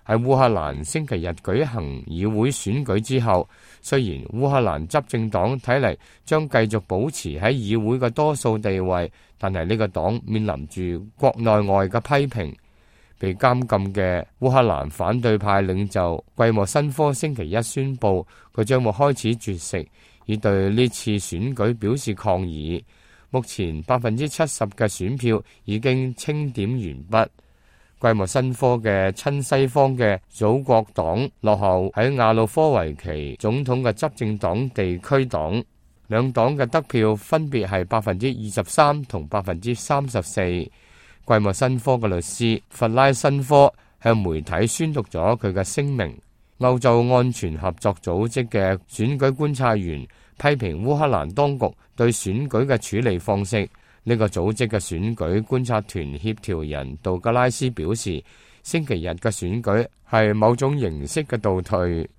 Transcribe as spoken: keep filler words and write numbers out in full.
喺烏克蘭星期日舉行議會選舉之後，雖然烏克蘭執政黨睇嚟將繼續保持喺議會嘅多數地位，但係呢個黨面臨住國內外嘅批評。被監禁嘅烏克蘭反對派領袖季莫申科星期一宣布，佢將會開始絕食，以對呢次選舉表示抗議。目前百分之七十嘅選票已經清點完畢。季莫申科嘅親西方嘅祖國黨落後喺亞努科維奇總統嘅執政黨地區黨，兩黨嘅得票分別係百分之二十三同百分之三十四。季莫申科嘅律師弗拉申科向媒體宣讀咗佢嘅聲明。歐洲安全合作組織嘅選舉觀察員批評烏克蘭當局對選舉嘅處理方式。呢個組織嘅選舉觀察團協調人杜格拉斯表示，星期日嘅選舉係某種形式嘅倒退。